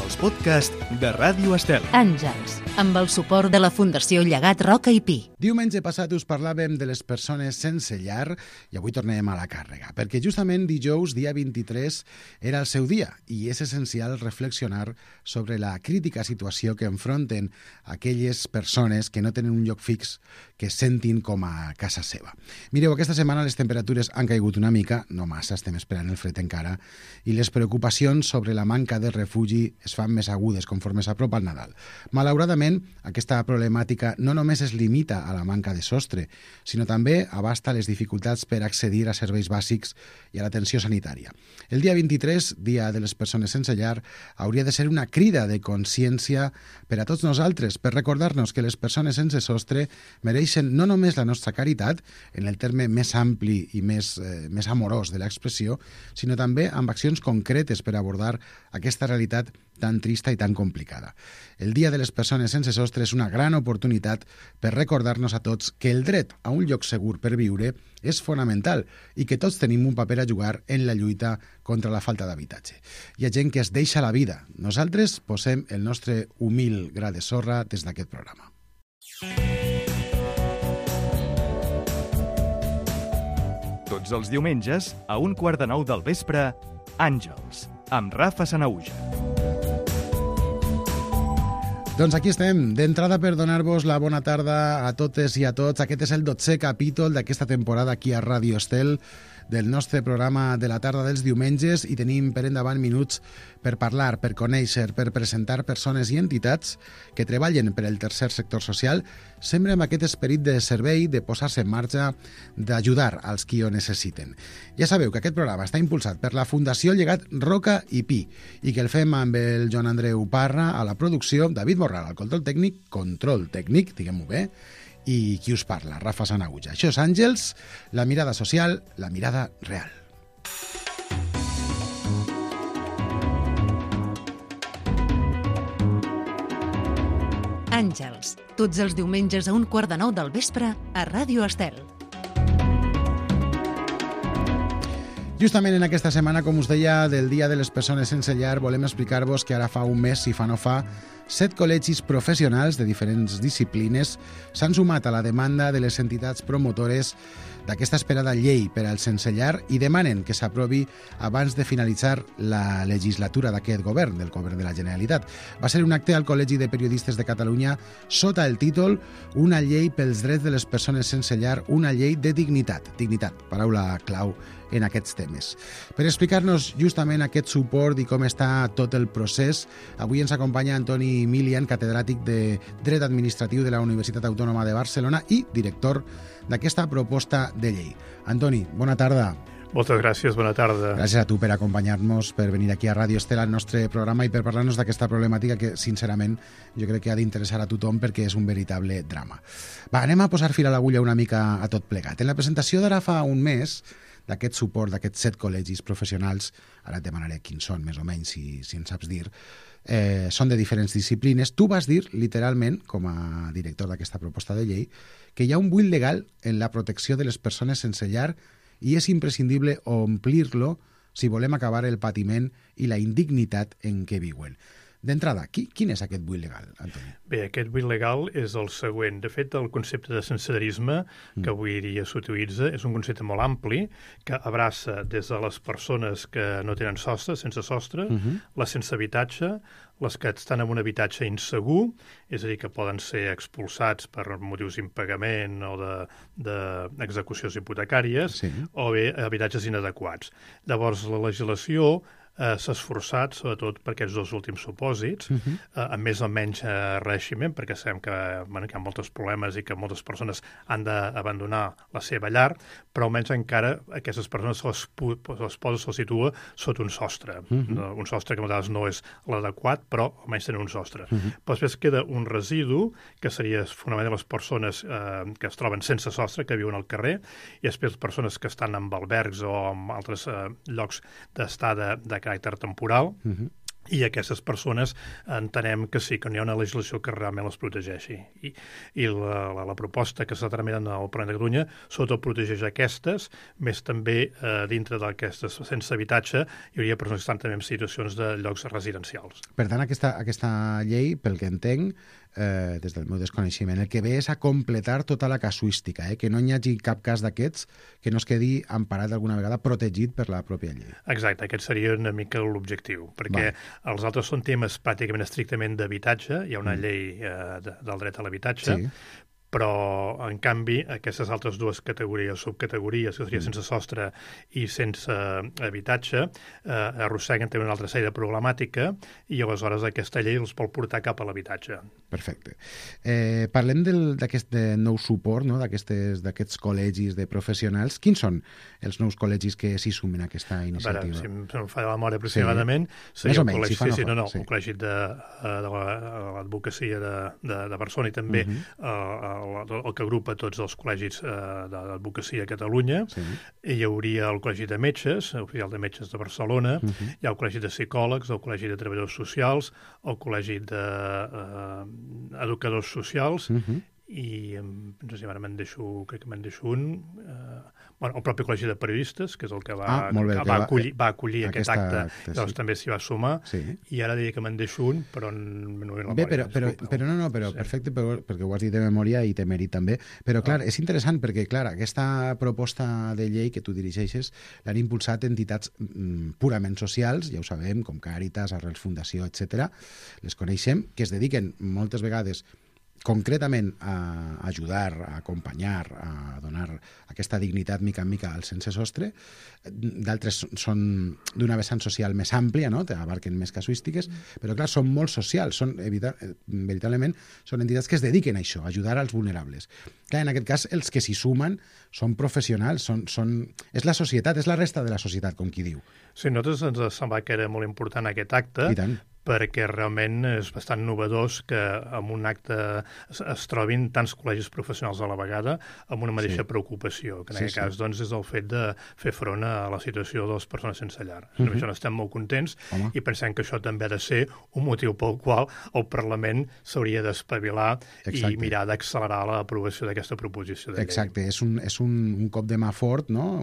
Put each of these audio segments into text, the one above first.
els podcasts de Ràdio Estel. Àngels, amb el suport de la Fundació Llegat Roca i Pi. Diumenge passat us parlàvem de les persones sense llar i avui tornem a la càrrega, perquè justament dijous, dia 23, era el seu dia i és essencial reflexionar sobre la crítica situació que enfronten aquelles persones que no tenen un lloc fix que sentin com a casa seva. Mireu, aquesta setmana les temperatures han caigut una mica, no massa, estem esperant el fred encara, i les preocupacions sobre la manca de refugi es fan més agudes conforme s'apropa el Nadal. Malauradament, aquesta problemàtica no només es limita a la manca de sostre, sinó també abasta les dificultats per accedir a serveis bàsics i a l'atenció sanitària. El dia 23, Dia de les Persones Sense Llar, hauria de ser una crida de consciència per a tots nosaltres, per recordar-nos que les persones sense sostre mereixen no només la nostra caritat, en el terme més ampli i més amorós de l'expressió, sinó també amb accions concretes per abordar aquesta realitat tan trista i tan complicada. El Dia de les Persones Sense Sostre és una gran oportunitat per recordar-nos a tots que el dret a un lloc segur per viure és fonamental i que tots tenim un paper a jugar en la lluita contra la falta d'habitatge. Hi ha gent que es deixa la vida. Nosaltres posem el nostre humil gra de sorra des d'aquest programa. Tots els diumenges, a 8:45 del vespre, Àngels, amb Rafa Sanahuja. Doncs aquí estem, d'entrada per donar-vos la bona tarda a totes i a tots. Aquest és el 12è capítol d'aquesta temporada aquí a Ràdio Estel, del nostre programa de la tarda dels diumenges, i tenim per endavant minuts per parlar, per conèixer, per presentar persones i entitats que treballen per al tercer sector social, sempre amb aquest esperit de servei, de posar-se en marxa, d'ajudar als qui ho necessiten. Ja sabeu que aquest programa està impulsat per la Fundació Llegat Roca i Pi i que el fem amb el Joan Andreu Parra a la producció, David Morral al control tècnic, diguem-ho bé, i qui us parla, Rafa Sanahuja. Això és Àngels, la mirada social, la mirada real. Àngels, tots els diumenges a 8:45 del vespre a Ràdio Estel. Justament en aquesta setmana, com us deia, del Dia de les Persones Sense Llar, volem explicar-vos que ara fa un mes, si fa no fa, 7 col·legis professionals de diferents disciplines s'han sumat a la demanda de les entitats promotores d'aquesta esperada llei per al sense llar i demanen que s'aprovi abans de finalitzar la legislatura d'aquest govern, del govern de la Generalitat. Va ser un acte al Col·legi de Periodistes de Catalunya sota el títol Una llei pels drets de les persones sense llar, una llei de dignitat. Dignitat, paraula clau en aquests temes. Per explicar-nos justament aquest suport i com està tot el procés, avui ens acompanya Antoni Milian, catedràtic de Dret Administratiu de la Universitat Autònoma de Barcelona i director d'aquesta proposta de llei. Antoni, bona tarda. Moltes gràcies, bona tarda. Gràcies a tu per acompanyar-nos, per venir aquí a Ràdio Estel, al nostre programa, i per parlar-nos d'aquesta problemàtica que, sincerament, jo crec que ha d'interessar a tothom perquè és un veritable drama. Va, anem a posar fil a l'agulla una mica a tot plegat. En la presentació d'ara fa un mes, d'aquest suport, d'aquests 7 col·legis professionals, ara et demanaré quins són, més o menys, si en saps dir, són de diferents disciplines. Tu vas dir, literalment, com a director d'aquesta proposta de llei, que hi ha un buit legal en la protecció de les persones sense llar i és imprescindible omplir-lo si volem acabar el patiment i la indignitat en què viuen. D'entrada, quin és aquest buit legal, Antoni? Bé, aquest buit legal és el següent. De fet, el concepte de sensellarisme que avui dia s'utilitza és un concepte molt ampli que abraça des de les persones que no tenen sostre, sense sostre, les sense habitatge, les que estan en un habitatge insegur, és a dir, que poden ser expulsats per motius d'impagament o d'execucions hipotecàries, o bé habitatges inadequats. Llavors, la legislació s'ha esforçat, sobretot per aquests dos últims supòsits, amb més o menys reeiximent, perquè sabem que hi ha molts problemes i que moltes persones han d'abandonar la seva llar, però almenys encara aquestes persones se'ls situa sota un sostre. Un sostre que a vegades no és l'adequat, però almenys tenen un sostre. Però després queda un residu, que seria fonamentalment les persones que es troben sense sostre, que viuen al carrer, i després les persones que estan en albergs o en altres llocs d'estada de caràcter temporal, i aquestes persones entenem que sí, que no hi ha una legislació que realment les protegeixi. I la proposta que s'ha tramitat al Parlament de Catalunya sobretot protegeix aquestes, més també dintre d'aquestes sense habitatge hi hauria persones que estan també en situacions de llocs residencials. Per tant, aquesta llei, pel que entenc, des del meu desconeixement, el que ve és a completar tota la casuística, que no hi hagi cap cas d'aquests que no es quedi emparat alguna vegada, protegit per la pròpia llei. Exacte, aquest seria una mica l'objectiu, perquè els altres són temes pràcticament estrictament d'habitatge, hi ha una llei del dret a l'habitatge, però, en canvi, aquestes altres dues categories, subcategories, que seria sense sostre i sense habitatge, arrosseguen també una altra sèrie de problemàtica i aleshores aquesta llei els vol portar cap a l'habitatge. Perfecte. Parlem d'aquest nou suport, no? d'aquests col·legis de professionals. Quins són els nous col·legis que s'hi sumen a aquesta iniciativa? A veure, si em fa la memòria aproximadament, seria el col·legi, el col·legi de l'advocacia de Barcelona i també el que agrupa tots els col·legis d'advocacia a Catalunya. Hi hauria el Col·legi de Metges, l'Oficial de Metges de Barcelona, hi ha el Col·legi de Psicòlegs, el Col·legi de Treballadors Socials, el Col·legi d'Educadors Socials i no sé si ara crec que me'n deixo un, el propi Col·legi de Periodistes, que és el que va acollir aquest acte, doncs també s'hi va sumar, i ara diria que me'n deixo un, però no ve la memòria. Però perfecte, perquè ho has dit de memòria i té mèrit també, però clar, és interessant perquè, clar, aquesta proposta de llei que tu dirigeixes l'han impulsat entitats purament socials, ja ho sabem, com Càritas, Arrels Fundació, etc. Les coneixem, que es dediquen moltes vegades concretament a ajudar, a acompanyar, a donar aquesta dignitat mica en mica al sense sostre. D'altres són d'una vessant social més àmplia, no? Abarquen més casuístiques, però clar, són molt socials, veritablement són entitats que es dediquen a això, a ajudar als vulnerables. Clar, en aquest cas, els que s'hi sumen són professionals, és la societat, és la resta de la societat, com qui diu. Sí, a nosaltres ens semblava que era molt important aquest acte, perquè realment és bastant novedós que en un acte es trobin tants col·legis professionals a la vegada amb una mateixa preocupació, que en aquest cas doncs, és el fet de fer front a la situació de les persones sense llar. Amb això n'estem molt contents i pensem que això també ha de ser un motiu pel qual el Parlament s'hauria d'espavilar i mirar d'accelerar l'aprovació d'aquesta proposició de llei. Exacte, és un cop de mà fort, no?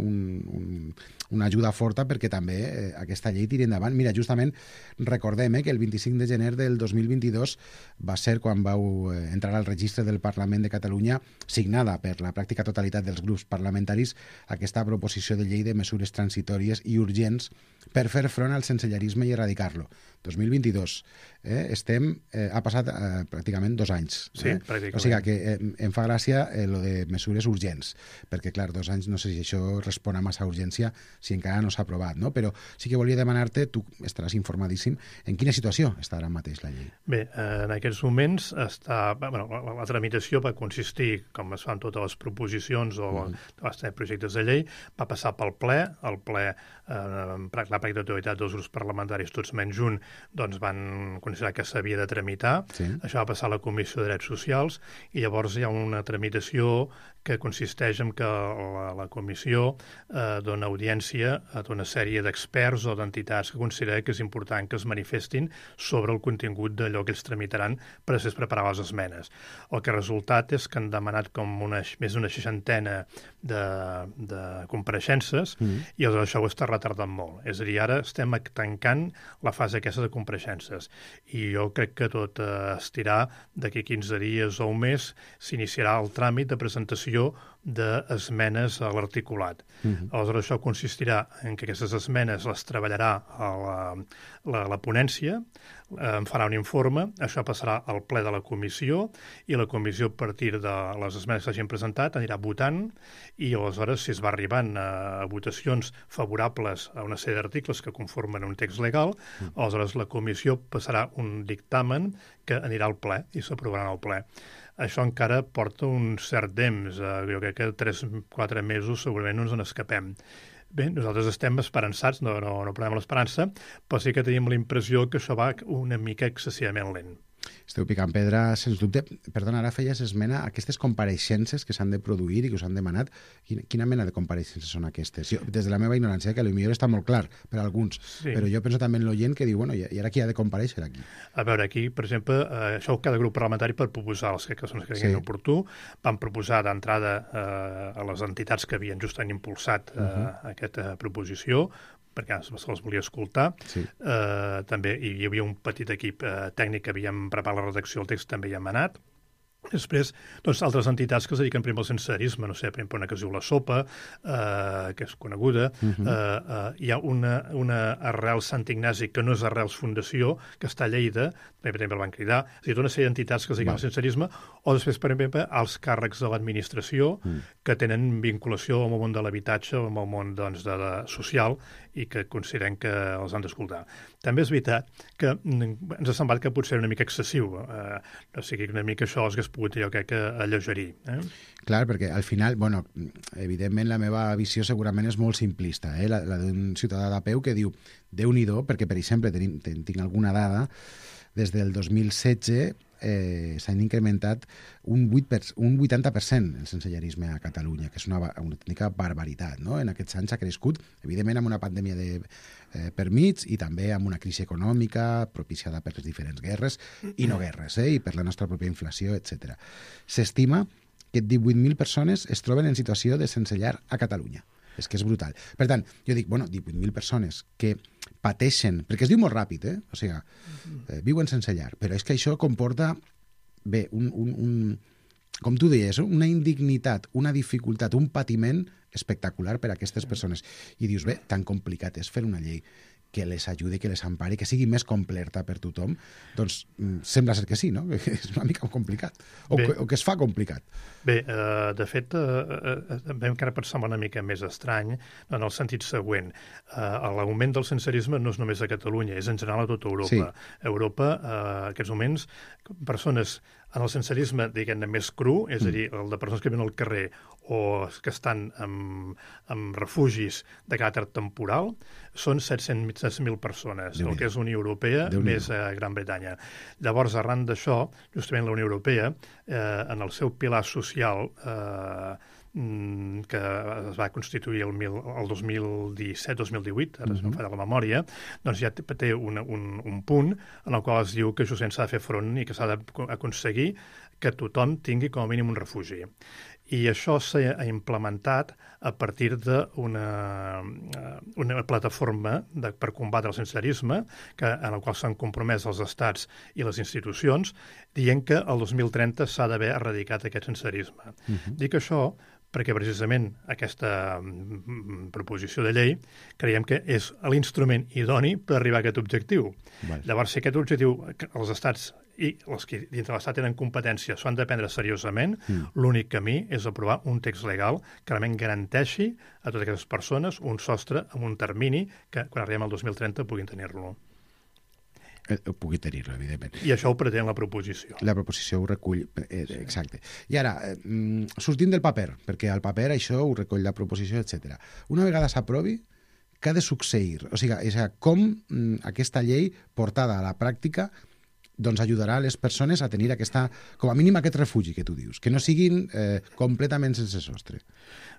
Una ajuda forta perquè també aquesta llei tiri endavant. Mira, justament recordem que el 25 de gener del 2022 va ser quan vau entrar al registre del Parlament de Catalunya, signada per la pràctica totalitat dels grups parlamentaris, aquesta proposició de llei de mesures transitòries i urgents per fer front al sensellarisme i erradicar-lo. 2022. Ha passat pràcticament 2 anys. Sí, pràcticament. O sigui que em fa gràcia lo de mesures urgents, perquè, clar, 2 anys no sé si això respon a massa urgència si encara no s'ha aprovat, no? Però sí que volia demanar-te, tu estaràs informadíssim, en quina situació està ara mateix la llei? Bé, en aquests moments la tramitació va consistir, com es fan totes les proposicions o els projectes de llei, va passar pel ple, el ple, la pràctica totalitat dels grups parlamentaris, tots menys un, doncs van considerar que s'havia de tramitar. Això va passar a la Comissió de Drets Socials i llavors hi ha una tramitació que consisteix en que la comissió dona audiència a tota una sèrie d'experts o d'entitats que considera que és important que es manifestin sobre el contingut d'allò que ells tramitaran per després preparar les esmenes. El que ha resultat és que han demanat com més d'una 60 de compareixences i llavors això ho està retardant molt. És a dir, ara estem tancant la fase aquesta de compareixences i jo crec que tot estirà d'aquí 15 dies o un mes s'iniciarà el tràmit de presentació d'esmenes a l'articulat. Aleshores, això consistirà en que aquestes esmenes les treballarà la ponència, en farà un informe, això passarà al ple de la comissió i la comissió, a partir de les esmenes que s'hagin presentat, anirà votant i aleshores, si es va arribant a votacions favorables a una sèrie d'articles que conformen un text legal, aleshores la comissió passarà un dictamen que anirà al ple i s'aprovarà al ple. Això encara porta un cert temps, jo crec que 3-4 mesos segurament no ens n'escapem. Bé, nosaltres estem esperançats, no perdem l'esperança, però sí que tenim la impressió que això va una mica excessivament lent. Esteu picant pedra, sens dubte. Perdona, ara feies esmena a aquestes compareixences que s'han de produir i que us han demanat. Quina mena de compareixences són aquestes? Jo, des de la meva ignorància, que potser està molt clar per a alguns, però jo penso també en l'oient que diu, bueno, i ara qui ha de compareixer aquí? A veure, aquí, per exemple, això cada grup parlamentari per proposar els que són els que creguin oportú, van proposar d'entrada a les entitats que havien justament impulsat aquesta proposició, perquè se'ls volia escoltar. També hi havia un petit equip tècnic que havíem preparat la redacció del text, també hi hem anat. Després, doncs, altres entitats que es dediquen, per exemple, al sensellarisme, no sé, per exemple, una que es diu La Sopa, que és coneguda. Hi ha una Arrels Sant Ignasi, que no és Arrels Fundació, que està a Lleida, també el van cridar. És a dir, una sèrie d'entitats que es dediquen al sensellarisme, o després, per exemple, els càrrecs de l'administració, que tenen vinculació amb el món de l'habitatge, amb el món, doncs, social, i que consideren que els han d'escoltar. També és veritat que ens ha semblat que potser era una mica excessiu. O sigui, una mica això hagués pogut, jo crec, alleugerir. Clar, perquè al final, bueno, evidentment la meva visió segurament és molt simplista, la d'un ciutadà de peu que diu, Déu-n'hi-do, perquè, per exemple, tinc alguna dada, des del 2016 s'han incrementat un 80% el sensellarisme a Catalunya, que és una autèntica barbaritat, no? En aquests anys ha crescut, evidentment amb una pandèmia per mig i també amb una crisi econòmica propiciada per les diferents guerres i no guerres, i per la nostra pròpia inflació, etc. S'estima que 18.000 persones es troben en situació de sensellar a Catalunya. És que és brutal. Per tant, jo dic, 18.000 persones que pateixen, perquè es diu molt ràpid, o sigui, viuen sense llar, però és que això comporta, com tu deies, una indignitat, una dificultat, un patiment espectacular per a aquestes persones. I dius, tan complicat és fer una llei que les ajudi, que les empari, que sigui més completa per tothom, doncs sembla ser que sí, no? Que és una mica complicat, o que es fa complicat. Bé, de fet, vam encara pensar una mica més estrany en el sentit següent. L'augment del sensellarisme no és només a Catalunya, és en general a tota Europa. Sí. Europa, en aquests moments, persones en el sensellarisme, diguem-ne, més cru, és a dir, el de persones que viuen al carrer o que estan en refugis de caràcter temporal, són 700.000 persones, el que és Unió Europea més Gran Bretanya. Llavors, arran d'això, justament la Unió Europea, en el seu pilar social, que es va constituir el 2017-2018, ara no em falla la memòria, doncs ja té un punt en el qual es diu que això s'ha de fer front i que s'ha d'aconseguir que tothom tingui com a mínim un refugi. I això s'ha implementat a partir d'una plataforma per combatre el sensellarisme, en la qual s'han compromès els estats i les institucions, dient que el 2030 s'ha d'haver erradicat aquest sensellarisme. Dic això perquè precisament aquesta proposició de llei creiem que és l'instrument idoni per arribar a aquest objectiu. Llavors, si aquest objectiu els estats i els que dintre l'estat tenen competència s'ho han de prendre seriosament, l'únic camí és aprovar un text legal que realment garanteixi a totes aquestes persones un sostre amb un termini que quan arribem al 2030 puguin tenir-lo. Pugui tenir-lo, evidentment. I això ho pretén la proposició. La proposició ho recull, exacte. I ara, sortim del paper, perquè al paper això ho recull la proposició, etc. Una vegada s'aprovi, què ha de succeir? O sigui, com aquesta llei portada a la pràctica doncs ajudarà a les persones a tenir com a mínim aquest refugi que tu dius, que no siguin completament sense sostre.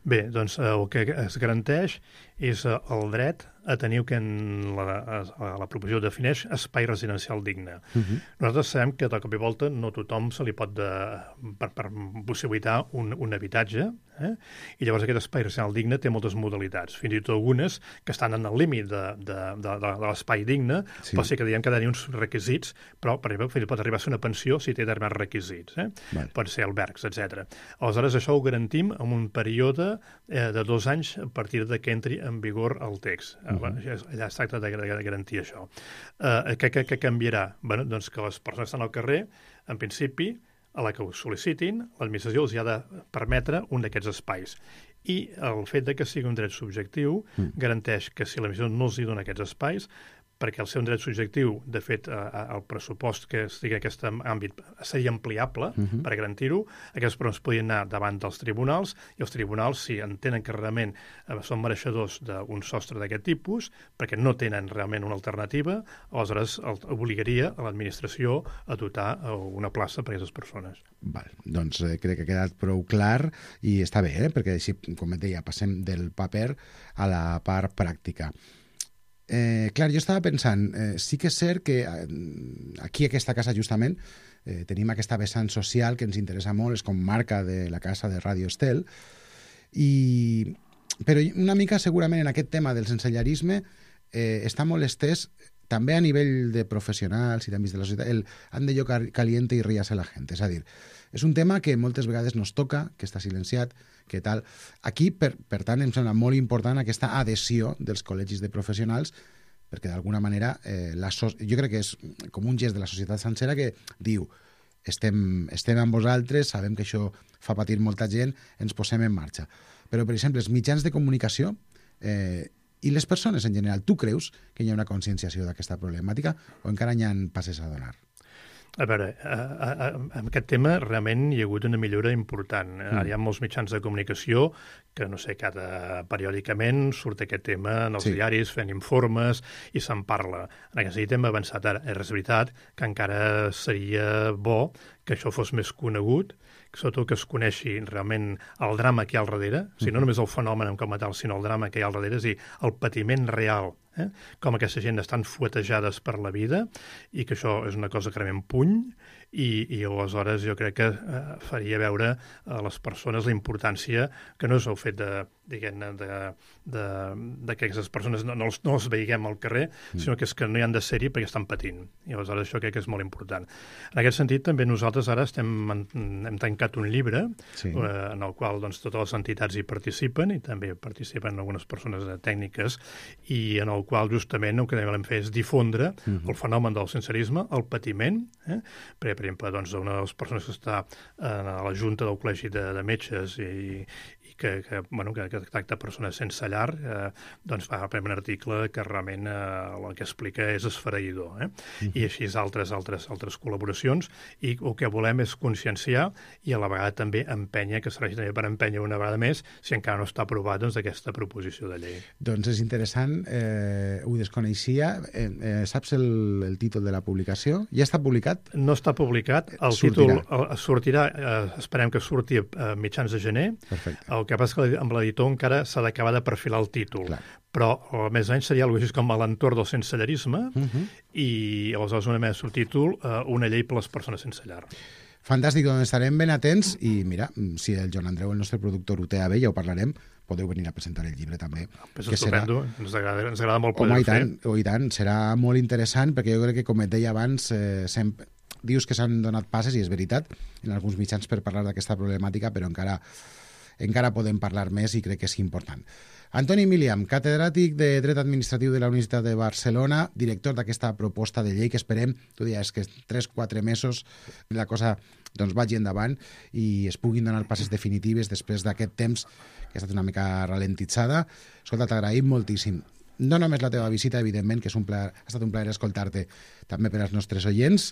Bé, doncs el que es garanteix és el dret a tenir el que la proposició defineix espai residencial digne. Nosaltres sabem que de cop i volta no tothom se li pot per possibilitar un habitatge, i llavors aquest espai residencial digne té moltes modalitats, fins i tot algunes que estan en el límit de l'espai digne, pot ser que diguem que ha de tenir uns requisits, però per exemple pot arribar a ser una pensió si té determinats requisits, pot ser albergs, etc. Aleshores això ho garantim en un període de 2 anys a partir de que entri en vigor el text. Allà es tracta de garantir això. Què canviarà? Bé, doncs que les persones que estan al carrer, en principi, a la que ho sol·licitin, l'administració els ha de permetre un d'aquests espais. I el fet de que sigui un dret subjectiu garanteix que si l'administració no els hi dona aquests espais, perquè el ser un dret subjectiu, de fet, el pressupost que estigui en aquest àmbit seria ampliable per garantir-ho, aquestes persones podien anar davant dels tribunals i els tribunals, si entenen que realment són mereixedors d'un sostre d'aquest tipus, perquè no tenen realment una alternativa, aleshores obligaria a l'administració a dotar una plaça per a aquestes persones. Val, doncs crec que ha quedat prou clar i està bé, perquè així, com et deia, passem del paper a la part pràctica. Clar, jo estava pensant, sí que és cert que aquí a aquesta casa justament tenim aquesta vessant social que ens interessa molt, és com marca de la casa de Ràdio Estel, però una mica segurament en aquest tema del sensellarisme està molt estès també a nivell de professionals i d'àmbits de la societat, han de lloc caliente i ríase la gent. És a dir, és un tema que moltes vegades no es toca, que està silenciat, que tal. Aquí, per tant, em sembla molt important aquesta adhesió dels col·legis de professionals, perquè d'alguna manera jo crec que és com un gest de la societat sencera que diu estem amb vosaltres, sabem que això fa patir molta gent, ens posem en marxa. Però, per exemple, els mitjans de comunicació i les persones en general, tu creus que hi ha una conscienciació d'aquesta problemàtica o encara hi ha passes a donar? A veure, en aquest tema realment hi ha hagut una millora important. Ara hi ha molts mitjans de comunicació que, no sé, periòdicament surt aquest tema en els diaris, fent informes i se'n parla. En aquest sentit hem avançat ara. És veritat que encara seria bo que això fos més conegut, sobretot que es coneixi realment el drama que hi ha al darrere, o sigui, no només el fenomen com a tal, sinó el drama que hi ha al darrere, és a dir, el patiment real, com aquesta gent estan fuetejades per la vida i que això és una cosa que realment puny i aleshores jo crec que faria veure a les persones la importància que no és el fet de que aquestes persones no les veiguem al carrer, sinó que és que no hi han de ser-hi perquè estan patint. I aleshores això crec que és molt important. En aquest sentit, també nosaltres ara hem tancat un llibre en el qual doncs, totes les entitats hi participen i també participen algunes persones tècniques i en el qual justament el que volem fer és difondre el fenomen del sensellarisme, el patiment, perquè, per exemple, doncs, una de les persones que està a la Junta del Col·legi de Metges i que tracta persones sense llar, doncs fa un article que realment el que explica és esfereïdor. I així altres col·laboracions, i el que volem és conscienciar i a la vegada també empènyer, que serveix també per empènyer una vegada més, si encara no està aprovat aquesta proposició de llei. Doncs és interessant, ho desconeixia. Saps el títol de la publicació? Ja està publicat? No està publicat. El títol sortirà, esperem que surti a mitjans de gener. Perfecte. El que passa que amb l'editor encara s'ha d'acabar de perfilar el títol. Clar. Però a més o menys seria alguna cosa com a l'entorn del sensellarisme i aleshores una més subtítol, una llei per les persones sense llar. Fantàstic, doncs estarem ben atents i mira, si el Joan Andreu, el nostre productor, ho té a bé, ja ho parlarem, podeu venir a presentar el llibre també. És estupendo, ens agrada molt poder fer. I tant, serà molt interessant perquè jo crec que, com et deia abans, sempre dius que s'han donat passes i és veritat en alguns mitjans per parlar d'aquesta problemàtica, però encara podem parlar més i crec que és important. Antoni Miliam, catedràtic de Dret Administratiu de la Universitat de Barcelona, director d'aquesta proposta de llei que esperem, tu deies que 3-4 mesos la cosa doncs, vagi endavant i es puguin donar passes definitives després d'aquest temps que ha estat una mica ralentitzada. Escolta, t'agraïm moltíssim. No només la teva visita, evidentment, que ha estat un plaer escoltar-te també per als nostres oients,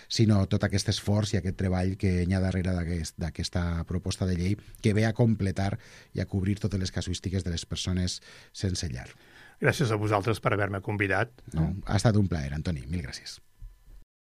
sinó tot aquest esforç i aquest treball que hi ha darrere d'aquesta proposta de llei que ve a completar i a cobrir totes les casuístiques de les persones sense llar. Gràcies a vosaltres per haver-me convidat. No, ha estat un plaer, Antoni. Mil gràcies.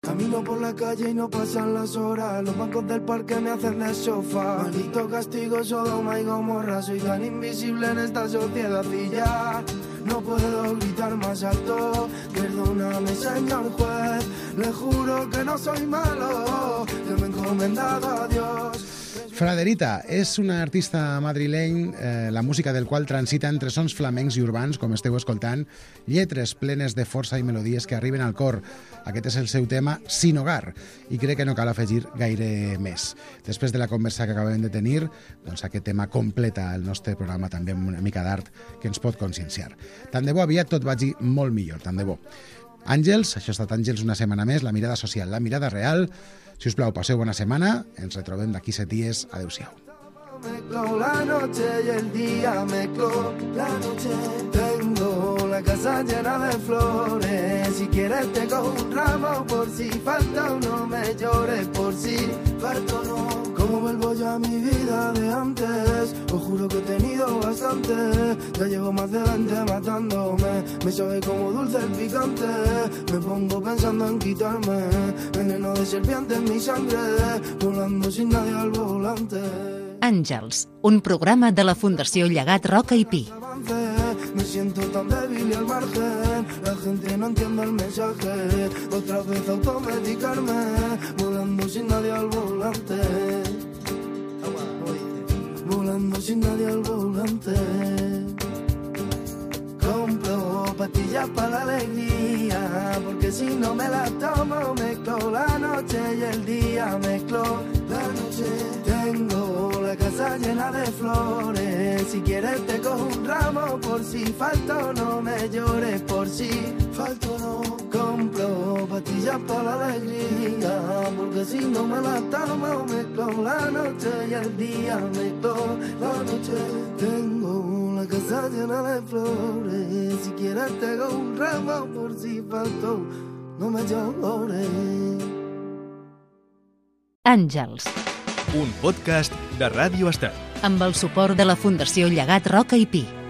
Camino por la calle y no pasan las horas. Los bancos del parque me hacen de sofá. Maldito castigo, Sodoma y Gomorra. Soy tan invisible en esta sociedad y ya no puedo gritar más alto. Perdóname, señor juez. Le juro que no soy malo. Yo me he encomendado a Dios. Fraderita és una artista madrileny, la música del qual transita entre sons flamencs i urbans, com esteu escoltant, lletres plenes de força i melodies que arriben al cor. Aquest és el seu tema Sin Hogar, i crec que no cal afegir gaire més. Després de la conversa que acabem de tenir, doncs aquest tema completa el nostre programa també amb una mica d'art que ens pot conscienciar. Tant de bo aviat tot vagi molt millor, tant de bo. Àngels, això ha estat Àngels una setmana més, la mirada social, la mirada real. Si us plau, passeu bona setmana, ens retrobem d'aquí 7 dies. Adéu-siau. La noche y el día mezcló, la noche tengo la casa llena de flores. Si quieres te cojo un ramo, por si falta o no me llores, por si falta o no. Como vuelvo yo a mi vida de antes, os juro que he tenido bastante. Ya llevo más de 20 matándome, me sabe como dulce el picante. Me pongo pensando en quitarme veneno de serpiente en mi sangre, volando sin nadie al volante. Àngels, un programa de la Fundació Llegat Roca i Pi. Me siento tan débil y al margen, la gente no entiende el mensaje. Otra vez automedicarme, volando sin nadie al volante. Volando sin nadie al volante. Compro pastillas para la alegría, porque si no me las tomo mezclo la noche y el día, mezclo la noche. Tengo la casa llena de flores, si quieres te cojo un ramo, por si falto no me llores, por si falto no. Compro pastillas para la alegría, porque si no me las tomo mezclo la noche y el día, mezclo la noche. Tengo la casa llena de flores, si quieres te cojo un ramo, por si falto no me llores. Àngels, Un podcast de Ràdio Estel. amb el suport de la Fundació Llegat Roca i Pi.